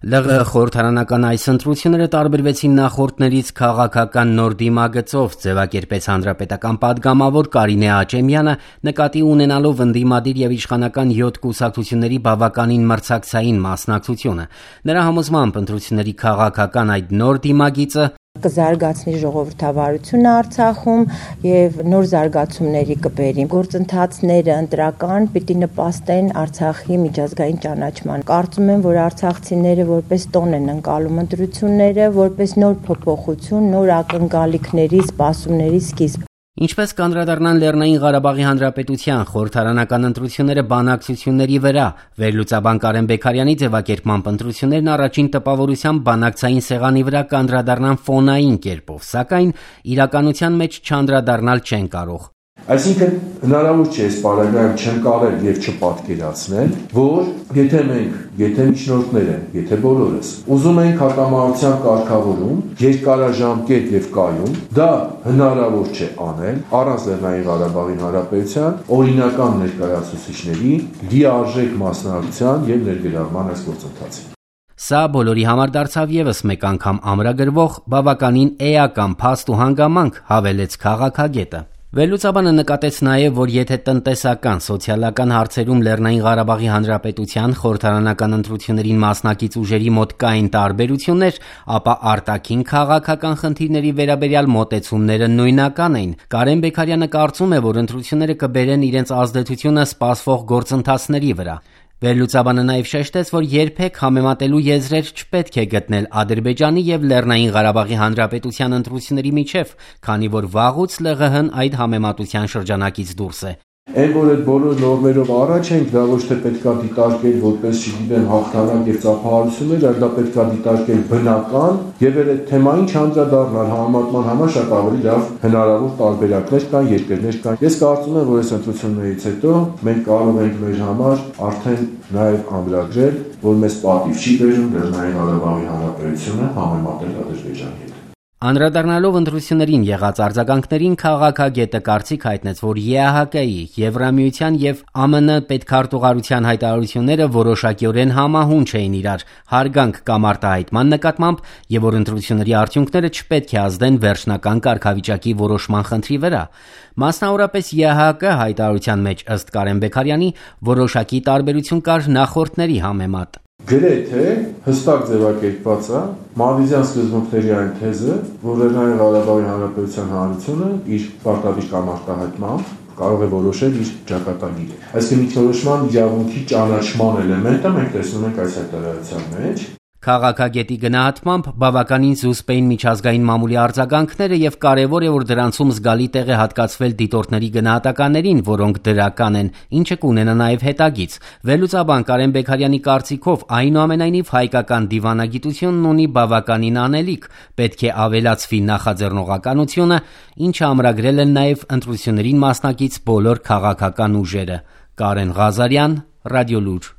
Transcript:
ԼՂՀ խորհրդարանական այս ընտրությունները տարբերվեցին նախորդներից քաղաքական նոր դիմագծով, ձևակերպեց հանրապետական պատգամավոր Կարինե Աճեմյանը, նկատի ունենալով ընդդիմադիր եւ իշխանական 7 կուսակցությունների բավականին մրցակցային մասնակցությունը։ Նրա համոզմամբ ընտրությունների քաղաքական այդ նոր դիմագիծը կզարգացնի ժողովրդավարությունը Արցախում եւ նոր զարգացումների կբերի։ Գործընթացները ընտրական պիտի նպաստեն Արցախի միջազգային ճանաչման։ Կարծում եմ, որ արցախցիները որպես տոն են ընկալում ընտրությունները, որպես նոր փոփոխություն, նոր ակնկալիքների, սպասումների սկիզբ։ Ինչպես կանդրադառնան Լեռնային Ղարաբաղի Հանրապետության խորհրդարանական ընտրությունները բանակցությունների վրա, վերլուծաբան Կարեն Բեգարյանի ձևակերպմամբ ընտրություններն առաջին տպավորությամբ բանակցային սեղանի վրա կանդրադառնան ֆոնային կերպով, սակայն իրականության մեջ չանդրադառնալ չեն կարող։ Այսինքն հնարավոր չէ այս պարագայում չընկալել եւ չպատկերացնել, որ եթե միջնորդները, եթե բոլորս ուզում ենք հակամարտության կարգավորում, երկարաժամկետ եւ կայուն, դա հնարավոր չէ անել առանց Լեռնային Ղարաբաղի Հանրապետության օրինական ներկայացուցիչների լիարժեք մասնակցության եւ ներգրավման այս գործընթացին։ Սա բոլորի համար դարձավ եւս մեկ անգամ ամրագրվող բավականին էական փաստ ու հանգամանք, հավելեց քաղաքագետը։ Վերլուծաբանը նկատեց նաև, որ եթե տնտեսական, սոցիալական հարցերում Լեռնային Ղարաբաղի Հանրապետության խորհրդարանական ընտրություններին մասնակից ուժերի մոտ կային տարբերություններ, ապա արտաքին քաղաքական խնդիրների վերաբերյալ մոտեցումները նույնական էին։ Կարեն Բեգարյանը կարծում է, որ ընտրությունները կբերեն իրենց ազդեցությունը սպասվող գործընթացների վրա։ Վերլուծաբանը նաև շեշտեց, որ երբեք համեմատելու եզրեր չպետք է գտնել Ադրբեջանի եւ Լեռնային Ղարաբաղի Հանրապետության ընտրությունների միջև, քանի որ վաղուց ԼՂՀ-ն այդ համեմատության շրջանակից դուրս է։ Այն որ այդ բոլոր նորմերով առաջ ենք, դա ոչ թե պետքա դիտարկել որպես, չգիտեմ, հաղթանակ եւ ծափահարություններ, այլ դա պետքա դիտարկել բնական եւ այդ թեմային չանդրադառնալ համեմատման համար շատ ավելի լավ հնարավոր տարբերակներ կան, երկրներ կան։ Ես կարծում եմ, որ այս ընտրություններից հետո մենք կարող ենք մեր համար արդեն նաեւ ամրագրել, որ մեզ պատիվ չի բերում Լեռնային Ղարաբաղի Հանրապետությունը համեմատել Ադրբեջանի հետ։ Անդրադառնալով ընտրություններին եղած արձագանքներին, քաղաքագետը կարծիք հայտնեց, որ ԵԱՀԿ-ի, Եվրամիության եւ ԱՄՆ պետքարտուղարության հայտարարությունները որոշակիորեն համահունչ էին իրար, հարգանք կամ արտահայտման նկատմամբ, եւ որ ընտրությունների արդյունքները չպետք է ազդեն վերջնական կարգավիճակի որոշման խնդրի վրա։ Մասնավորապես ԵԱՀԿ հայտարարության մեջ, ըստ Կարեն Բեգարյանի, որոշակի տարբերություն կար նախորդների համեմատ։ Գրեթե հստակ ձևակերպված է Մադրիդյան սկզբունքների այն թեզը, որ Լեռնային Ղարաբաղի Հանրապետության հանրությունը իր պարտադիր կամ արտահայտմամբ կարող է որոշել իր ճակատագիրը։ Այսինքն ինքնորոշման իրավունքի ճանաչման էլեմենտը մենք տեսնում ենք այս հայտարարության մեջ։ Քաղաքագետի գնահատմամբ բավականին զուսպ էին միջազգային մամուլի արձագանքները եւ կարեւոր է, որ դրանցում զգալի տեղ է հատկացվել դիտորդների գնահատականներին, որոնք դրական են, ինչը կունենա նաեւ հետագից։ Վերլուծաբան Կարեն Բեգարյանի կարծիքով, այնուամենայնիվ հայկական դիվանագիտությունն ունի բավականին անելիք, պետք է ավելացվի նախաձեռնողականությունը, ինչը ամրագրել են նաեւ ընտրություններին մասնակից բոլոր քաղաքական ուժերը։ Կարեն Ղազարյան, Ռադիոլուր։